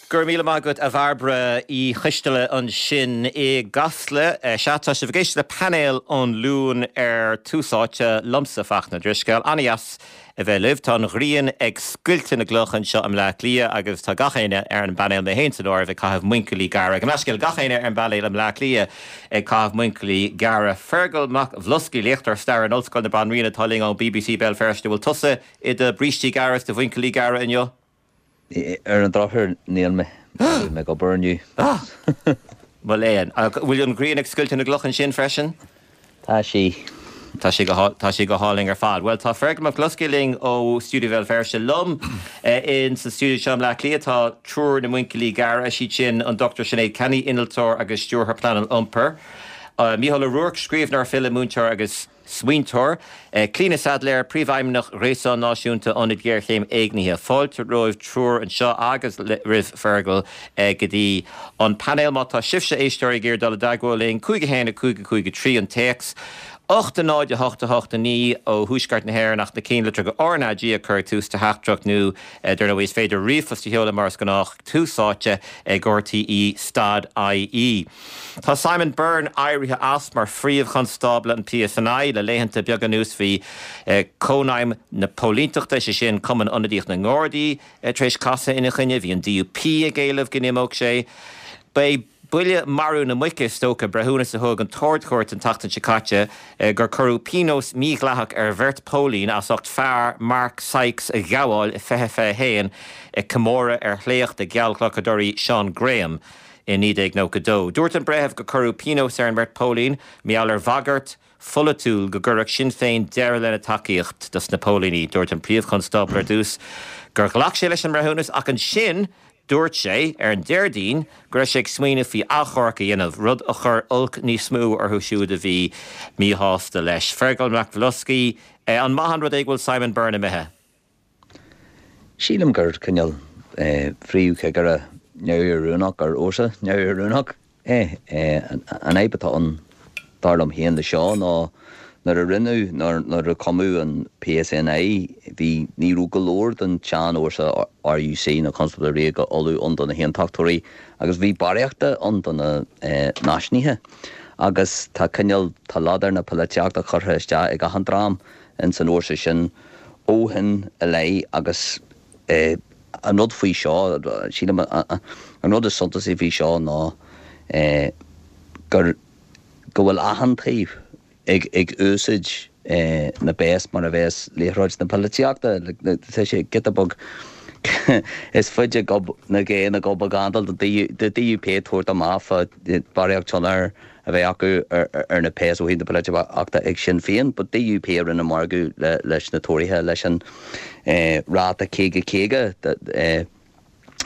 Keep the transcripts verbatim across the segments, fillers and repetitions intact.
Gur míle maith agat a Bhairbre Uí Choisteala ansin i gCasla. Sea, tá sibh ag éisteacht le Painéal an Luain ar Tús Áite, liomsa Fachtna Drisceoil. An-deas a bheith libh. Tá an ghrian ag scoilteadh na gcloch anseo i mBleá Cliath agus tá gach éinne ar an bpainéal, mé féin san áireamh, ag caitheamh muinchillí gearra. Gabh mo leithscéal, gach éinne ar an bpainéal i mBleá Cliath ag caitheamh muinchillí gearra. Fergal Mac Bhloscaidh, léachtóir staire in Ollscoil na Banríona atá linn ó B B C Béal Feirste. Bhfuil tusa i do bhrístí gearra is do mhuinchillí gearra inniu? Ar an drochuair, níl mé mé ag obair inniu. Mo léan. Bhfuil an ghrian ag scoilteadh na gcloch ansin freisin? Tá sí. Tá sé tá sé go hálainn ar fad. Well, tá Fergal Mac Bhloscaidh linn ó Stiúideo Bhéal Feirste. Liom in sa stiúideo seo i mBleá Cliath tá triúr na muinchillí gearra, siad sin an Doctor Sinéad Kenny, innealtóir agus stiúrthóir pleanáil iompair. Uh, Mícheál Ó Ruairc, scríbhneoir, file, múinteoir agus smaointeoir. Clíona Saidléar, Príomhfheidhmeannach Ghréasán Náisiúnta Ionad Géarchéim Éignithe. Fáilte romhaibh triúr anseo agus roimh Fergal go dtí an painéal. Má tá sibhse, éisteoirí, ag iarraidh dul i dteagmháil linn, cúig a haon a cúig a cúig a trí an téacs, ocht a náid a hocht a hocht a naoi ó thuaisceart na hÉireann, ach na ceannlitreacha R N A G a chur ag tús do theachtaireacht nó dar ndóigh is féidir ríomhphost a sheoladh mar is gnách, tús áite ag R T E stad I E. Tá Simon Byrne éirithe as mar phríomh-chonstábla an P S N I. Le laethanta beaga anuas bhí Cónaidhm na Póilíneachta, sé sin Cumann Ionadaíoch na nGardaí, tar éis casadh ina choinne. Bhí an D U P ag éileamh go n-imeodh sé. Ba buille marú na muice is dócha breithiúnas a thug an tArd-Chúirt an tseachtain seo caite gur cuireadh pionós mídhleathach ar bheirt póilín as ucht fear, Mark Sykes, a ghabháil i fiche fiche haon ag comóradh ar shléacht a geallghlacadóirí Sean Graham i naoi déag nócha dó. Dúirt an breitheamh go cuireadh pionós ar an mbeirt póilín mar gheall ar bhagairt pholaitiúil go gcuirfeadh Sinn Féin deireadh lena tacaíocht dos na póilíní. Dúirt an príomhchonstábla ar dtús gur ghlac sé leis an mbreithiúnas, ach ansin dúirt sé ar an Déardaoin go raibh sé ag smaoineamh faoi achomharc a dhéanamh, rud a chur olc níos mó orthu siúd a bhí míshásta leis. Fergal Mac Bhloscaidh, an maith an rud é go bhfuil Simon Byrne imithe? Sílim gur cineál phríomhchigire neamhoiriúnach ar fhórsa neamhoiriúnach é. An fhadhb atá ann, dar liom féin, le seo ná nuair a rinneadh nuair a cumadh an P S N I, bhí ní raibh go leor den tseanfhórsa R U C na Constábla Ríoga Uladh ann do na hAontachtóirí agus bhí barraíocht ann do na náisiúnaithe. Agus tá cineál tá ladar na polaitíochta curtha isteach ag achan dream in san fhórsa sin ó shin i leith. Agus an rud faoi seo, sílim, an rud is suntasaí faoi seo ná gur go bhfuil achan taobh ag ag úsáid na bpéas mar a bheas liathróid na polaitíochta. Tá sé giota beag is faide gob na gé na gob gandal de D U P tabhairt amach fá barraíocht tionchar a bheith acu ar na péas ó thaobh na polaitíochta ag Sinn Féin, but D U P a rinne margadh leis na Tóraithe leis an ráta caoga caoga,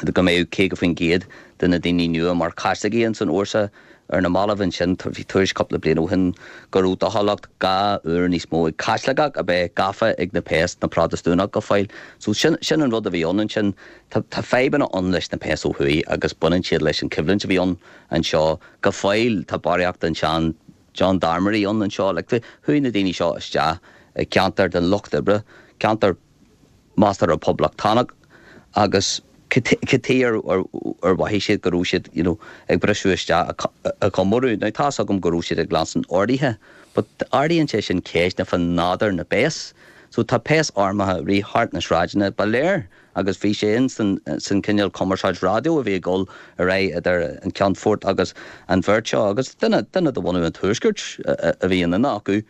go mbeadh caoga faoin gcéad de na daoine nua mar Chaitlicigh san fhórsa. Ar na mallaibh ansin, bhí tuairisc cúpla bliain ó shin go raibh dóchúlacht dhá uair níos mó ag Caitliceach a bheith gafa ag na péas ná Protastúnach go fóill. So sin sin an rud a bhí ann ansin. Tá tá fadhbanna ann leis na péas ó thuaidh agus baineann siad leis an choimhlint a bhí ann anseo. Go fóill tá barraíocht an sean gendarmerie ann anseo. Like, chuaigh na daoine seo isteach i ceantar den lucht oibre, ceantar measartha poblachtánach, agus cad chuige ar ar mhothaigh siad go raibh siad you know, ag briseadh isteach a comóradh? Now, tá's agam go raibh siad ag leanstan orduithe, but ardaíonn sé sin ceist fá nádúr na bpéas. So tá péas armtha rith thart na sráideanna, ba léir, agus bhí sé in san, san cineál cumarsáid raidió a bhí ag dul ar aghaidh idir an ceannfort agus an bheirt seo, agus duine duine de bhunadh an tuaiscirt a bhí in duine acu,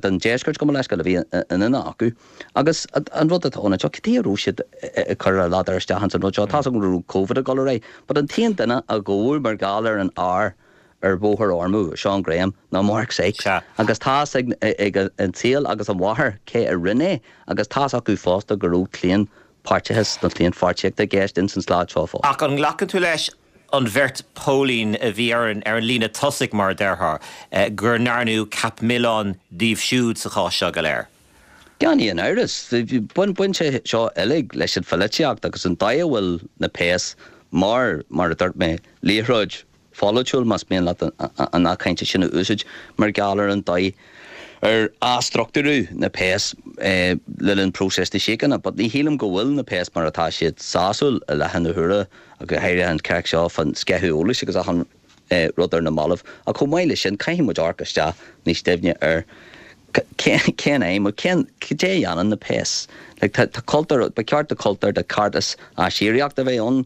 den deisceart, gabh mo leithscéal, a bhí in duine acu. Agus an rud atá ann seo, cad chuige a raibh siad ag cur a ladar isteach an rud seo? Tá go raibh COVID ag dul ar aghaidh, but an t-aon duine a gabhadh mar gheall ar an fhear ar bhóthar Ormeau, Sean Graham, ná Mark Sykes. Agus tá's ag, ag an tsaol agus an mháthair cé a rinne é, agus tá's acu fosta go raibh claonpháirteachas na claonpháirtíochta i gceist in san slad seo fós. Ach an nglacann tú leis an bheirt póilín a bhí ar an, ar an líne tosaigh, mar a déarfá, gur ndearnadh ceap milleáin díobh siúd sa chás seo go léir? Gan aon amhras, bain bain sé seo uilig leis an pholaitíocht agus an dóigh a bhfuil na péas mar mar a dúirt mé, liathróid pholaitiúil, más mian leat an nath cainte sin a úsáid, mar gheall ar an dóigh ar athstruchtúrú na péas le linn próiseas na síochána. But ní shílim go bhfuil na péas mar atá siad sásúil i láthair na huaire. go háirithe an ceacht seo fan sceitheadh eolais agus achan rud ar na mallaibh. Ach chomh maith leis sin, caithfidh muid amharc isteach níos doimhne ar cén aidhm, cén, cad é a dhéanann na péas. Like, tá, tá cultúr, ba cheart do cultúr de ceartas aisíocaíocht a bheith ann,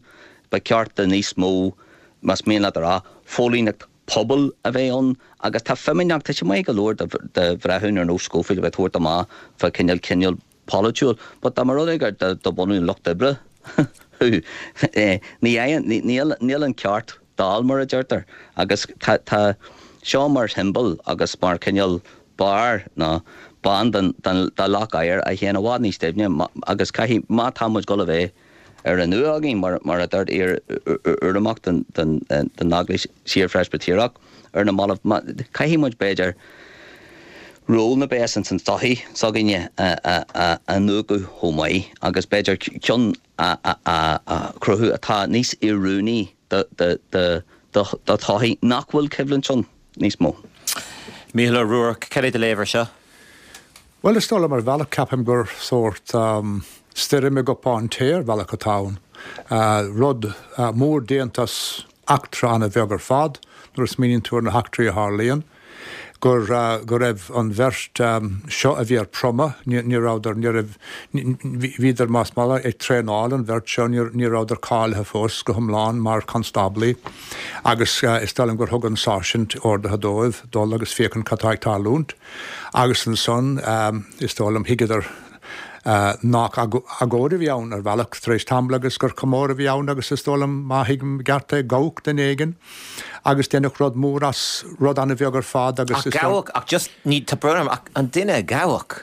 ba cheart do níos mó, más mian leat a rá, phóilíneacht pobail a bheith ann agus tá feimineacht, tá sé maith go leor do, do bhreithiúna ar nós Scoffield a bheith tabhairt amach fá cineál cineál polaitiúil, but dá mba rud é gur de, de bhunadh an lucht oibre thú, eh, ní fhaigheann, ní, níl, níl an ceart dall mar a deirtear agus tá, tá seo mar shiombail agus mar cineál barr nó bonn den, den, de leac oighir a théann i bhfad níos doimhne agus caithfidh, má tá muid ag dul a bheith ar an nua againn mar, mar a dúirt iar-urramach den, den, den Eaglais Síor-Phreispitéireach ar na mallaibh, má, caithfidh muid b'fhéidir ról na bpéas ins an tsochaí s'againne a, a, a, a iniúchadh chomh maith agus b'fhéidir ceann a, a, a, a chruthú atá níos oiriúnaí do, do, do, do, do tsochaí nach bhfuil coimhlint ann níos mó. Mícheál Ó Ruairc, cad é do léamh air seo? Bhuel, is dóigh liom ar bhealach ceapaim gur sórt um, stoirm i gcupán tae ar bhealach atá ann. Uh, rud uh, mór déanta as eachtra an-bheag ar fad, nuair a smaoiníonn tú ar na heachtraí a tharlaíonn, gur, uh, go raibh an bheirt um, seo a bhí ar promhadh, ní, ní rabhadar, ní raibh, bhíodar más maith ag traenáil an bheirt seo, ní, ní rabhadar cáilithe fós go hiomlán mar constáblaí, agus uh, is dóigh liom gur thug an sáirsint orduithe dóibh dul agus féachaint cad tá ag tarlúint. Agus ansan um, is dóigh liom thuigeadar uh, nach agóid a bhí ann ar bhealach tar éis tamaill agus gur comóradh a bhí ann agus is dóigh liom má thuigim i gceart é gabhadh duine éigin agus déanadh rud mór as rud an-bheag ar fad agus Ach gabhadh ach just ní tá brón ach an duine gabhadh.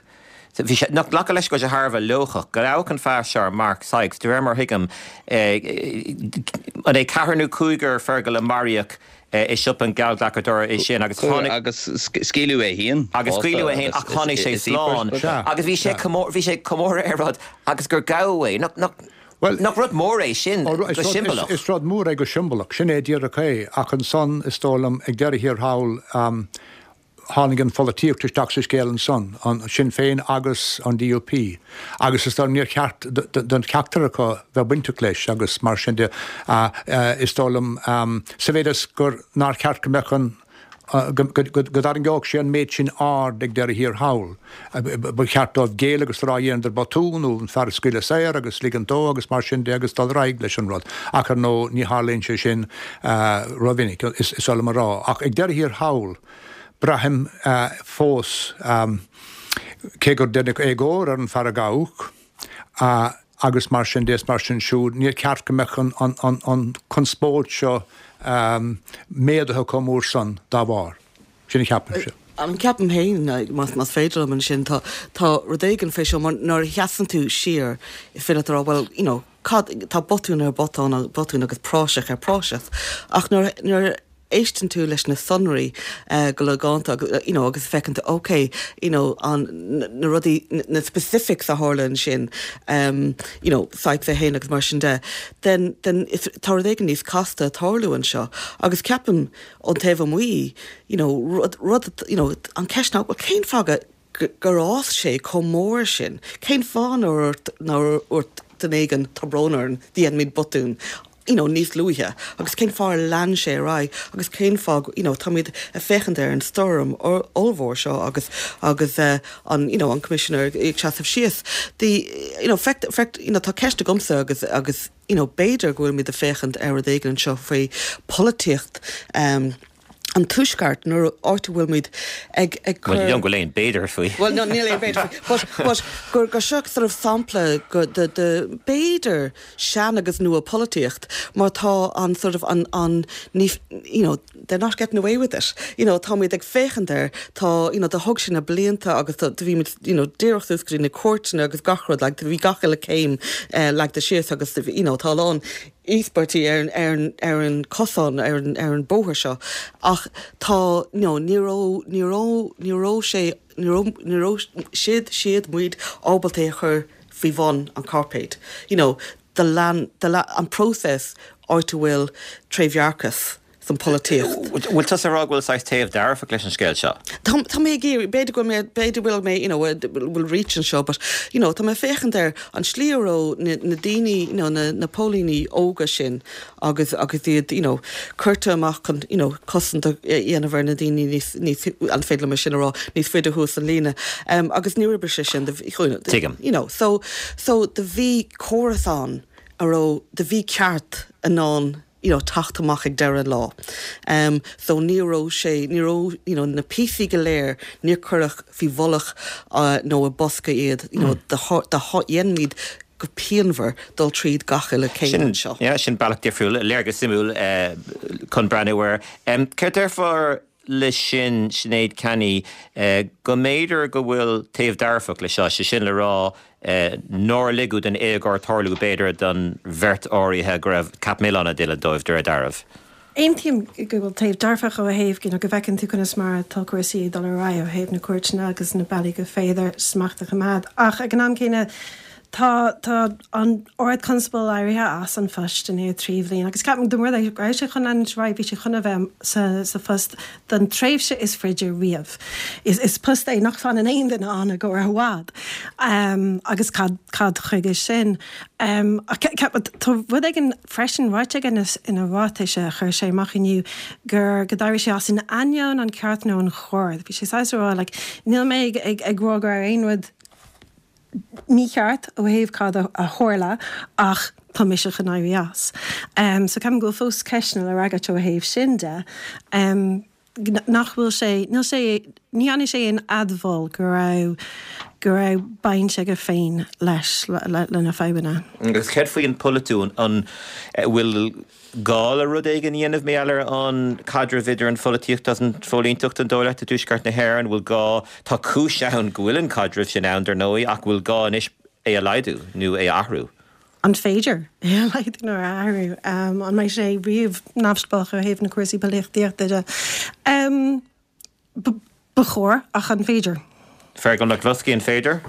Bhí sé nach glacadh leis go sé thar a bheith lóchach, go gabhadh an fear seo Mark Sykes, de réir mar thuigim an é ceathrar nó cúigear Fergal a maraíodh i siopa an geallghlacadóra é sin agus tháinig agus scaoileadh é féin agus scaoileadh é féin ach tháinig sé slán agus bhí sé bhí sé comóradh ar rud agus gur gabhadh é nach nach Well, nach rud mór é sin go siombalach. Is rud mór é go siombalach, sin é díreach é ach ansan is dóigh liom ag deireadh thiar thall um, tháinig an pholaitíocht isteach sa scéal ansan, an Sinn Féin agus an DUP. Agus is dóigh níor cheart don cheachtar acu bheith bainteach leis agus mar sin de uh, uh, is dóigh liom um, sa mhéid is gur nár cheart go mbeadh an go dtarraingeodh sé an méid sin aird ag deireadh thiar thall. Ba cheart dóibh géilleadh agus rá dhéanadar botún nó an fear a scaoileadh saor agus ligean dó agus mar sin de agus dul ar aghaidh leis an rud. Ach ar ndóigh ní tharlaíonn sé sin uh, rómhinic is, is liom a rá. Ach ag deireadh thiar thall, braithim uh, fós um, cé gur deineadh éagóir ar an fear a gabhadh, uh, agus mar sin de mar sin siúd, níor cheart go mbeadh an, an, an, an conspóid seo um, méadaithe chomh mór san dá bharr. Sin a cheapaimse. An ceapaim féin más más féidir liom ansin tá tá rud éigin fé seo mar nuair a sheasann tú siar is féidir rá well you know cad tá botún ar botún botún agus praiseach ar praiseach ach nuair nuair éisteann tú leis na sonraí uh, go logánta you know, agus feiceann tú okay you know, an na rudaí na specifics a tharla ansin um, you know, Sykes é féin agus mar sin de then, then tá rud éigin níos casta tarlú anseo agus ceapaim ón taobh amuigh you know, rud, rud you know, an ceist ná well, cén fáth gur fhás sé chomh mór sin cén fáth nár dhúirt duine éigin tá brón orm dhéan muid botún you know, níos luaithe agus cén fáth lean sé ar aghaidh agus cén fáth you know, táimid ag féachaint ar an stoirm ollmhór seo agus agus uh, an you know, an commissioner ag seasamh síos. The you know, feic, feic, you know, tá ceist agamsa agus agus you know, b'fhéidir go bhfuil muid ag féachaint ar rud éigin anseo faoi polaitíocht um, an tuaisceart nuair áit a bhfuil muid ag ag Well, you don't go aon b'fhéidir faoi. Well no níl aon b'fhéidir faoi but but gur gur seo sort of sampla go de de b'fhéidir sean agus nua polaitíocht mar tá an sort of an an ní you know they're not getting away with it you know tá muid ag féachaint air tá you know do thug sin na blianta agus do bhí muid you know díreach suas go dtí na cúirteanna agus gach rud like bhí gach uile céim uh, leagtha síos agus you know tá lán íospartaigh ar ar ar an cosán ar an ar an bóthar seo ach tá no ní raibh ní raibh ní raibh sé ní raibh ní raibh siad siad muid ábalta é a chur faoi bhun an carpet you know do lean do le an process áit a bhfuil trédhearcas san pholaitíocht. Bhfuil tusa ag rá go bhfuil saghas taobh dearfach leis an scéal seo? Tá tá mé ag iarraidh, b'fhéidir go bhfuil mé, b'fhéidir bhfuil mé, you know, bhfuil reach anseo, but, you know, tá mé ag féachaint ar an slí a raibh na, na daoine, you know, na, na póilíní óga sin agus, agus iad, you know, curtha amach chun, you know, cosaint a dhéanamh ar na daoine níos, níos, an féidir liom é sin a rá, níos faide thuas an líne. Um, agus níor oibrigh sé sin, Tuigim. you know, so, so do bhí córas ann a raibh, do bhí ceart in ann you know, teacht amach ag deireadh an lá. Um, so ní raibh sé, ní raibh, you know, na píosaí go léir, níor cuireadh faoi mhullach uh, nó i bosca iad, you know, do do dhéanaimid go pianmhar dul tríd gach uile céim Sin, anseo. yeah, sin bealach difriúil, léargas suimiúil eh, chun breathnú air. Um, Céard déarfá leis sin Sinéad Canney eh, go mb'fhéidir go bhfuil taobh dearfach le seo, sé sin le rá eh, nár ligeadh don éagóir tarlú b'fhéidir don bheirt áirithe go raibh ceap milleáin á dhéanamh dóibh de réir dealraimh. Aontaím go bhfuil taobh dearfach ó thaobh you know, go bhfeiceann tú conas mar atá cúrsaí ag dul ar aghaidh ó thaobh na cúirteanna agus na bealaí go féidir smacht a choimeád. Ach ag an am céanna tá tá an Ard-Chonstábla éirithe as an phost i ndiaidh trí bhliain, agus ceapaim dá mba rud é go raibh sé chun leanúint ar aghaidh, bhí sé chun a bheith sa, sa phost don tréimhse is faide riamh. Is, is post é nach bhfanann aon duine ann i gcomhair i bhfad. Um, agus cad, cad chuige sin. Um, ach ce- ce- tá rud éigin freisin ráite aige ina, ina ráiteas a chuir sé amach inniu gur go d'éirigh sé as in ainneoin an ceart nó an chóir. Bhí sé saghas ag rá, like, níl mé ag, ag, ag rá go raibh aon rud mícheart ó thaobh cad a a tharla ach tá mise chun éirí as. Um, so ceapaim go bhfuil fós ceisteanna le freagairt ó thaobh sin de. Um, nach bhfuil sé níl sé ní dhéanfaidh sé aon admháil go raibh go raibh baint aige féin leis le, le, lena fadhbanna. Agus céard faoin polaitiún an eh, bhfuil gá le rud éigin a dhéanamh mar gheall ar an caidreamh idir an pholaitíocht agus an phóilíneacht an dóigh leat i dtuaisceart na hÉireann, bhfuil gá tá cúis ann go bhfuil an caidreamh sin ann dar ndóigh ach bhfuil gá anois é a laghdú nó é a athrú. An féidir é a laghdú nó a athrú um, an mbeidh sé riamh neamhspleách ó thaobh na cúrsaí polaitíochta de. Um, ba chóir ach an féidir. Fergal McCluskey an féidir?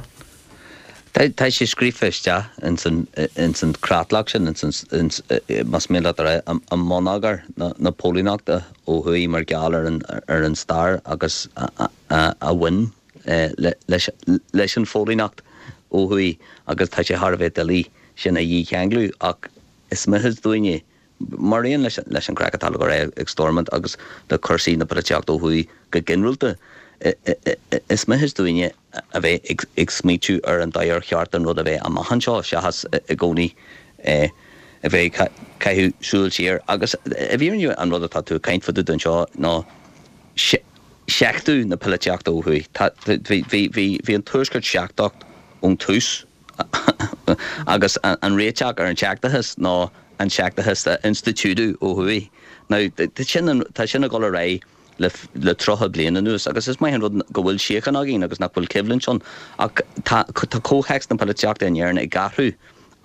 Tá sé scríofa isteach ins an ins an creatlach sin ins an más mian leat a an mbonneagar na na póilíneachta ó thuaidh mar gheall ar an ar an stair agus a bhain leis leis an phóilíneacht ó thuaidh agus tá sé thar a bheith doiligh sin a dhícheanglú ach is mithid dúinne mar aon leis leis an craic atá ag Stormont agus le cúrsaí na polaitíochta ó thuaidh go ginearálta. Is mithid dúinne a bheith ag ag smaoitiú ar an dóigh ar cheart an rud a bheith amach anseo seachas i gcónaí a bheith ag caitheamh súil siar agus i bhfírinne an rud atá tú ag caint fá dtaobh de anseo ná seachtú na polaitíochta ó thuaidh. Bhí bhí bhí bhí an tuaisceart seachtach ón tús agus an réiteach ar an seachtachas ná an seachtachas a institiúidiú ó thuaidh. Now tá sin tá sin ag dul ar aghaidh le le tríocha bliain anuas agus is maith an rud go bhfuil síocháin againn agus nach bhfuil coimhlint ann ach tá tá comhthéacs na polaitíochta in Éirinn ag athrú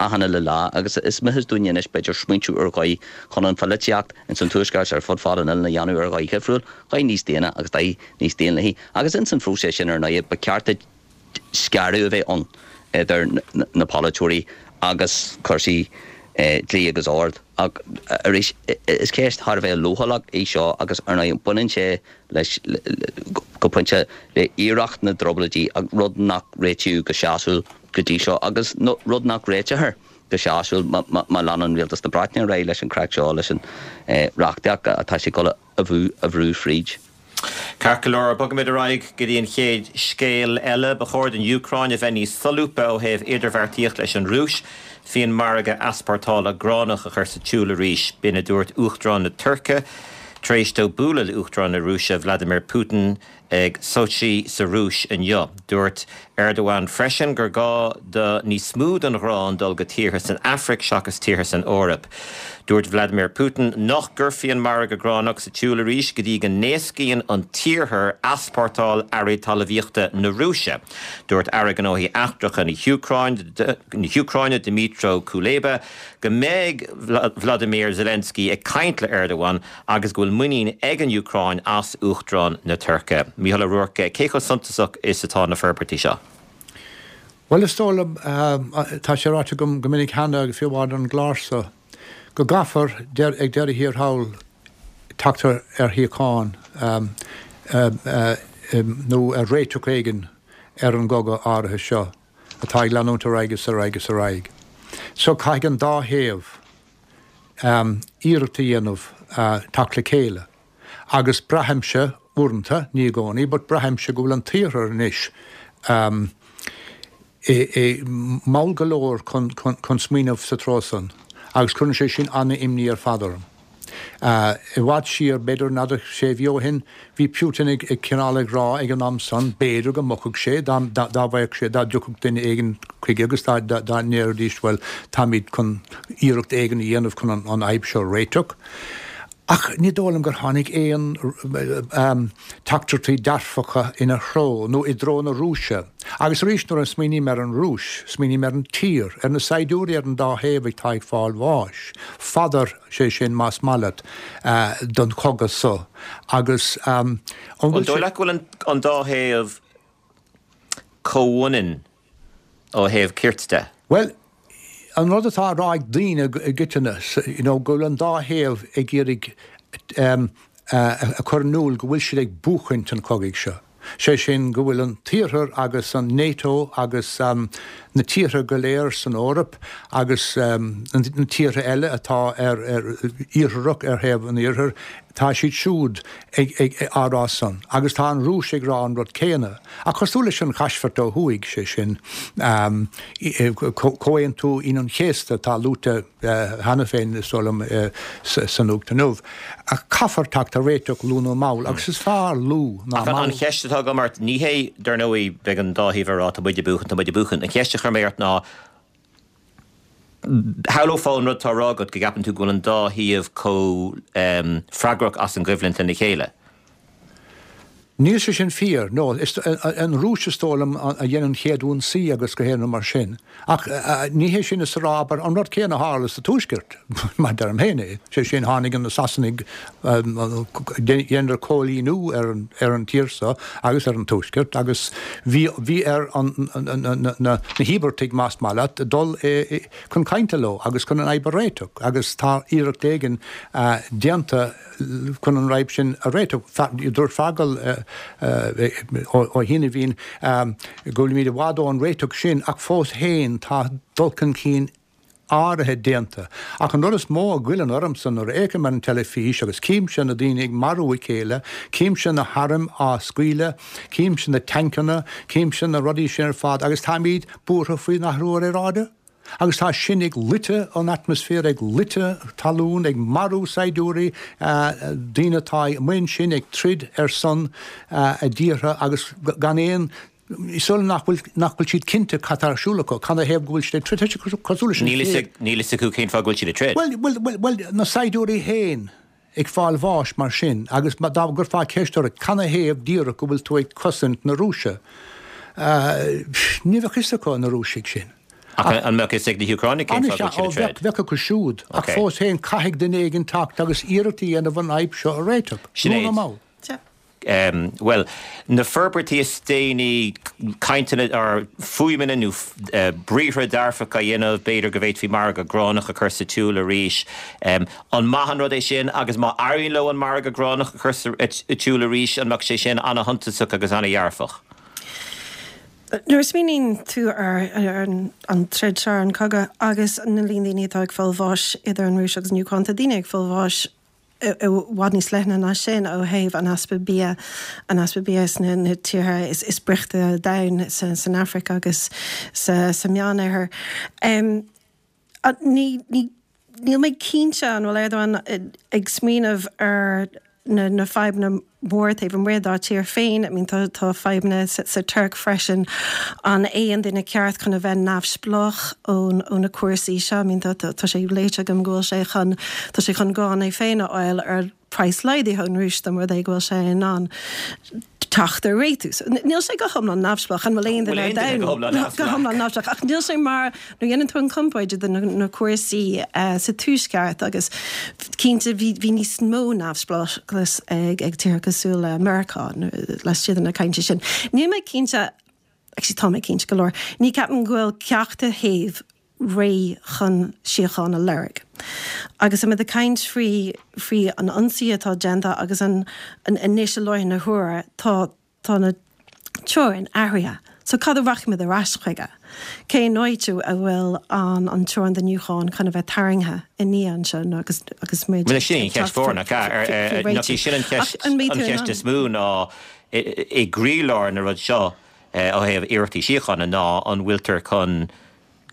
achan uile lá agus is mithid dúinne anois b'fhéidir smaointiú ar dhóigh chun an pholaitíocht ins an tuaisceart ar fud fad an oileáin a dhéanamh ar dhóigh dhifriúil, dhóigh níos daonna agus dóigh níos daonlathaí agus ins an phróiseas sin ar ndóigh ba cheart scaradh a bheith ann idir na polaiteoirí agus cúrsaí dlí agus ord. Ach arís, is ceist thar a bheith leochaileach í seo agus ar ndóigh baineann sé leis go pointe le hiarracht na dTrioblóidí, rud nach réitíodh go sásúil go dtí seo agus rud nach réiteofar go sásúil má leanann rialtas na Breataine ar aghaidh leis an craic seo, leis an reachtaíocht atá sé ag dul a bhrú fríd. Ceart go leor, bogaimid ar aghaidh go dtí an chéad scéal eile. Ba chóir don Úcráin a bheith níos solúbtha ó thaobh idirbheartaíocht leis an Rúis faoin margadh easpórtála gránach a chur sa tsiúl arís. B'in a dúirt Uachtarán na Tuirce tar éis dó bualadh le Uachtarán na Rúise Vladimir Putin ag Sochi sa Rúis inniu. Dúirt Erdogan freisin gur gá do níos mó den ghrán dul go tíortha san Afraic seachas tíortha san Eoraip. Dúirt Vladimir Putin nach gcuirfí an margadh gránach sa tsiúl arís go dtí go n-éascaíonn an tIarthar easpórtáil earraí talmhaíochta na Rúise. Dúirt Aire Gnóthaí Eachtracha na hÚcráine Dmytro Kuleba go mbeidh Vladimir Zelensky ag caint le Erdogan agus go bhfuil muinín ag an Úcráin as Uachtarán na Tuirce. Mícheál Ó Ruairc, cé chomh suntasach is atá na forbairtí seo? Bhuel, is dóigh liom, tá sé ráite agam go minic cheana, fiú amháin ar an gclár seo, go gcaithfear ag deireadh thiar thall teacht ar shíocháin nó ar réiteach éigin ar an gcogadh áirithe seo atá ag leanúint ar aghaidh is ar aghaidh is ar aghaidh. So caithfidh an dá thaobh iarracht a dhéanamh teacht le chéile. Agus braithimse uaireanta, ní i gcónaí, but braithimse go bhfuil an tIarthar anois mall go leor chun smaoineamh sa treo san agus cuireann sé sin an-imní ar fad orm. I bhfad siar, b'fhéidir n'fheadar sé mhí ó shin, bhí Putin ag cineál ag rá ag an am san, b'fhéidir go mbogfadh sé dá bhfaigheadh sé, dá dtiocfadh duine éigin chuige agus dá ndéarfaidís bhuel táimid chun iarracht éigin a dhéanamh chun an fhadhb seo a réiteach. Ach ní dóigh liom gur tháinig aon teachtaireachtaí dearfacha ina threo nó i dtreo na Rúise. Agus arís nuair a smaoiním ar an Rúis, smaoiním ar an tír, ar na saighdiúirí ar an dá thaobh atá ag fáil bháis. Fodar, sé sin más maith leat, don chogadh so. Agus an bhfuil sé. An dóigh leat go bhfuil an dá thaobh comhionann ó thaobh cirt de? Bhuel, an rud atá á rá ag daoine i gcoitinne, you know, go bhfuil an dá thaobh ag iarraidh a chur in iúl go bhfuil siad ag buachaint an chogaidh seo. Sé sin, go bhfuil an tIarthar agus an NATO agus na tíortha go léir san Eoraip agus na tíortha eile atá ar iartharach ar thaobh an Iarthair, tá siad siúd ag á rá san. Agus tá an Rúis ag rá an rud céanna. Ach cosúil leis an Chaisbhirt ó thuaidh, sé sin, Comhaontú Aoine an Chéasta atá luaite cheana féin, is dóigh liom, sa nuacht inniu. Caithfear teacht ar réiteach luath nó mall, agus is fearr luath ná mall. An cheist atá agam ort, ní hé, dar ndóigh, beidh an dá thaobh ag rá tá muid ag buachan, tá muid ag buachan. An cheist a chuir mé ort ná, shamhlófá an rud atá á rá agat, go gceapann tú go bhfuil an dá thaobh chomh freagrach as an gcoimhlint lena chéile. Níl sé sin fíor, no. Is an Rúis is dóigh liom a dhein an chéad ionsaí agus gach aon rud mar sin. Ach ní hé sin is a rá, abair, an rud céanna a tharla sa Tuaisceart, mar a deirim féin é. Sé sin, tháinig na Sasanaigh, dheineadar cóilíniú ar ar an tír seo agus ar an Tuaisceart agus bhí bhí ar an na híobartaigh, más maith leat, dul chun cainte leo agus chun an fhadhb a réiteach agus tá iarracht éigin déanta chun an fhadhb sin a réiteach. Dúirt Feargal Ó hAiniféin go bhfuilimid i bhfad ón réiteach sin ach fós féin tá dul chun cinn áirithe déanta. Ach an rud is mó a ghoilleann ormsa nuair a fhéachaim ar an teilifís agus címse na daoine ag marú a chéile, címse na hairm á scaoileadh, címse na tancanna, címse na rudaí sin ar fad agus táimid buartha faoin athrú aeráide? Agus tá sin ag loiteadh an atmaisféir, ag loiteadh talún, ag marú saighdiúirí, daoine atá amuigh ansin ag troid ar son a dtíortha agus gan aon, is dóigh liom nach bhfuil, nach bhfuil siad cinnte cad tá ar siúl acu, canathaobh go bhfuil siad ag troid. Tá sé cosúil leis an Níl fhios, níl fhios acu cén fáth go bhfuil siad ag troid. Bhuel, bhuel, bhuel, bhuel, na saighdiúirí féin ag fáil bháis mar sin agus dá gcuirfeá ceist orthu canathaobh díreach go bhfuil tú ag cosaint na Rúise, ní bheadh fhios acu, na Rúisigh sin. Ach an mbeadh fhios ag na hÚcránaigh cén fáth go bhfuil siad ag troid? Bheadh acu siúd, ach fós féin caithfidh duine éigin teacht agus iarracht a dhéanamh an fhadhb seo a réiteach, luath nó mall. Bhuel, na forbairtí is déanaí, cainteanna or fuaimeanna nó briathra dearfacha a dhéanamh, b'fhéidir go bhféadfaí margadh gránach a chur sa tsiúl arís. An maith an rud é sin agus má éiríonn leo an margadh gránach a chur sa tsiúl arís, an mbeadh sé sin ana-shuntasach agus ana-dhearfach? Nuair a smaoiníonn tú ar an troid seo, ar an chogadh agus na líon daoine atá ag fáil bháis idir an Rúis agus an Úcráin, tá daoine ag fáil bháis i bhfad níos leithne ná sin ó thaobh an easpa bia, an easpa bia sna na tíortha is boichte ar domhan, san Afraic agus sa Meánoirthear. Ní, ní, níl mé cinnte an bhfuil Erdogan ag smaoineamh ar na na fadhbanna móra taobh amuigh dá tír féin. I mean tá tá fadhbanna sa sa Tuirc freisin. An é an duine ceart chun a bheith neamhspleách ón ó na cúrsaí seo? I mean tá tá tá sé léite agam go bhfuil sé chun tá sé chun grán é féin a fháil ar praghas laghdaithe ón Rúis dá mba rud é go bhfuil sé in ann teacht ar réitiú. So níl sé go hiomlán neamhspleách. An bhfuil aon duine ar domhan go hiomlán neamhspleách? Ach níl sé mar nuair a dhéanann tú an chomparáid idir na cúrsaí sa Tuaisceart agus cinnte bhí bhí níos mó neamhspleáchas ag ag tíortha cosúil le Meiriceá laistigh de na cainte sin. Níl mé cinnte, actually tá mé cinnte go leor, ní ceapaim go bhfuil ceachtar thaobh réidh chun síocháin a lorg. Agus tá muid ag caint faoi faoi an ionsaí atá déanta agus an an anois i láthair na huaire tá tá na teorainn athraithe. So cad a rachaimid ar ais chuige? Cén áit a bhfuil an an teorainn den Úcráin chun a bheith tarraingthe i ndiaidh anseo nó agus agus muid Bhuel sin an cheist mhór nach ea? Nach í sin an cheist an cheist is mó ná i gcroílár na rud seo ó thaobh iarrachtaí síochána ná an bhfuiltear chun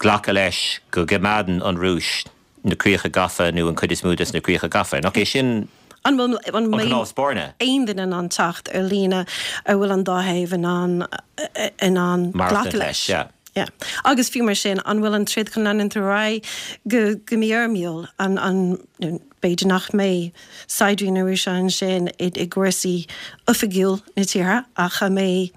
glacadh leis go gcoimeádann an Rúis na críocha gafa nó an chuid is mó des na críocha gafa. Nach é sin An bhfuil an an mbeidh cnámh spairne? aon duine in ann teacht ar líne a bhfuil an dá thaobh in ann in ann Maireachtaint glacadh leis, leis? yeah. Yeah. Agus fiú mar sin, an bhfuil an troid chun leanúint ar aghaidh go go mí fhoirmiúil? An an b'fhéidir nach mbeidh saighdiúirí na Rúise ansin i i gcúrsaí oifigiúil na tíre ach an mbeidh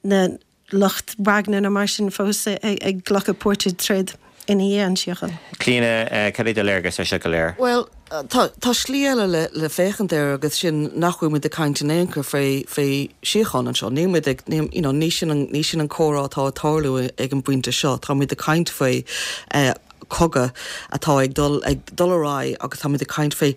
na lucht Wagner nó mar sin fós ag glacadh páirt i dtroid ina dhiaidh an tsíocháin. Clíona, cad é do léargas ar seo go léir? Bhuel, tá tá slí eile le le féachaint air agus sin nach bhfuil muid ag caint in aon chor faoi faoi síocháin anseo. Níl muid ag ní you know ní sin an ní sin an comhrá atá ag tarlú ag an bpointe seo. Tá muid ag caint faoi eh cogadh atá ag dul ag dul ar aghaidh agus tá muid ag caint faoi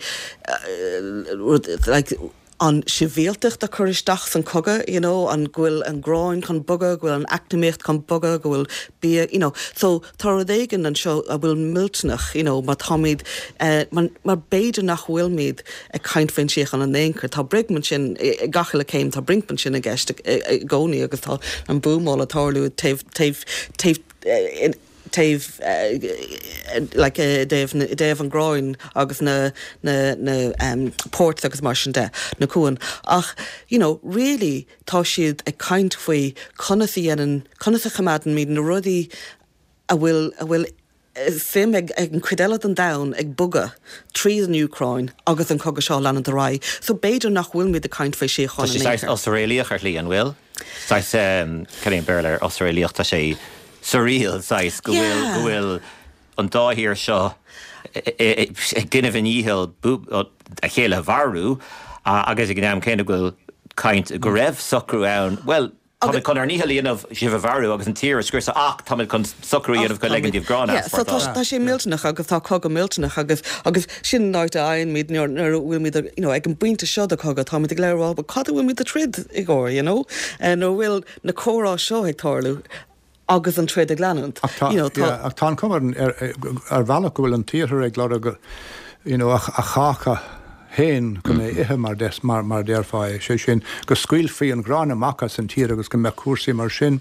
eh rud like an sibhialtacht a chur isteach san cogadh, you know, an go bhfuil an gráin chun bogadh, go bhfuil an eacnamaíocht chun bogadh, go bhfuil bia, you know. So tá rud éigin anseo a bhfuil millteanach, you know, mar táimid eh, mar, mar b'fhéidir nach bhfuilmid ag caint faoin síocháin in aon chor. Tá brinc ansin i gach uile céim, tá brinc ansin i gceist i i gcónaí agus tá an buamáil ag tarlú taobh taobh taobh eh, taobh like i dtaobh i dtaobh an gráin agus na na na um, ports agus mar sin de na cuain ach you know really tá siad ag caint faoi conas a dhéanann conas a choimeádann na rudaí a bhfuil a bhfuil suim ag ag an chuid eile den domhan ag bogadh tríd an Úcráin agus an cogadh seo leanúint ar aghaidh. So b'fhéidir nach bhfuilmid ag caint faoi Tá síocháin sé in aon saghas chor. osréalaíoch ar shlí an bhfuil? Saghas um, cad é an Béarla ar osréalaíoch tá sé surreal saghas go bhfuil Yeah. go bhfuil an dá thír seo ag déanamh a ndícheall a chéile a mharú agus ag an am céanna go bhfuil caint go raibh socrú ann. Well, Tá chun ár ndícheall a dhéanamh sibh a mharú agus an tír a scriosadh ach tá chun socrú a dhéanamh go ligean daoibh grán Yeah, so tá tá sé millteanach agus tá cogadh millteanach agus agus sin an áit a fhaighimid nuair nuair a bhfuilmid you know, ag an bpointe seo de cogadh táimid ag rá cad a bhfuilmid ag troid i gcomhair, you know? Uh, nuair a bhfuil na comhrá seo ag tarlú agus an troid ag leanúint. Ach tá You know, tá yeah, ach tá an cuma ar ar bhealach go bhfuil an t-iarthar ag lorg you know, a a cháca féin chun é ithe mar des mar mar déarfá sé sin go scaoilfí an grán amach as an tír agus go mbeadh cúrsaí mar sin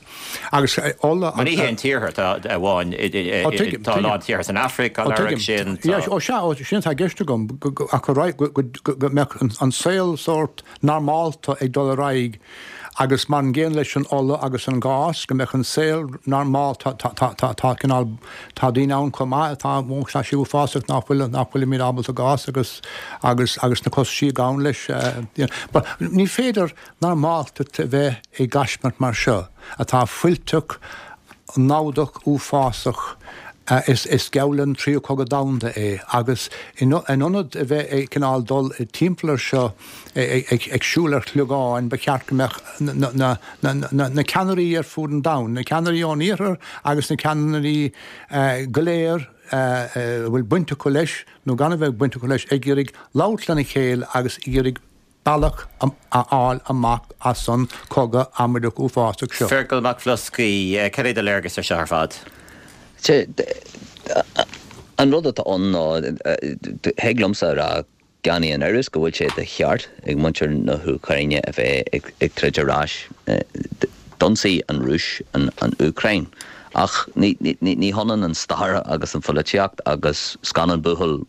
agus eh, ola Mar ní hé an t-iarthar tá amháin Ó, tuigim, tá tuigim. lá tíortha san Afraic Ó, á tuigim. sin Ja, ó sea, ó, sin tá gceist agam go- go- ach go raibh- go go- go mbeadh an- an saol sórt normálta ag dul ar aghaidh agus mar an gcéanna leis an ola agus an gás go mbeadh an saol normál tá tá tá tá tá cineál tá daoine ann chomh maith atá tá sé uafásach nach bhfuil nach bhfuilimid ábalta gás agus agus agus na costais a ghabhann leis eh, you know, but ní féidir normálta a bheith i gcaismirt mar seo atá fuilteach namhdach uafásach uh, is is geall an tríú cogadh domhanda é agus in in ionad a bheith ag cineál dul i timpeall air seo ag ag ag siúl ar shlogáin ba cheart go mbeadh na na na na na ceannairí ar fud an domhain, na ceannairí ón iarthar agus na ceannairí uh, go léir uh, uh, bhfuil baint acu leis nó gan a bheith baint acu leis ag iarraidh labhairt lena chéile agus iarraidh bealach a fháil amach as an cogadh amaideach uafásach seo. Feargal Mac Bhloscaí cad é do léargas ar seo ar fad. Sé, an rud atá ann ná thig liomsa rá gan aon amhras go bhfuil sé de cheart ag muintir na hÚcráine a bheith ag, ag troid ar ais. D'ionsaigh an Rúis an, an Úcráin. Ach ní, ní, ní, ní hionann an stair agus an pholaitíocht agus scannán buachaill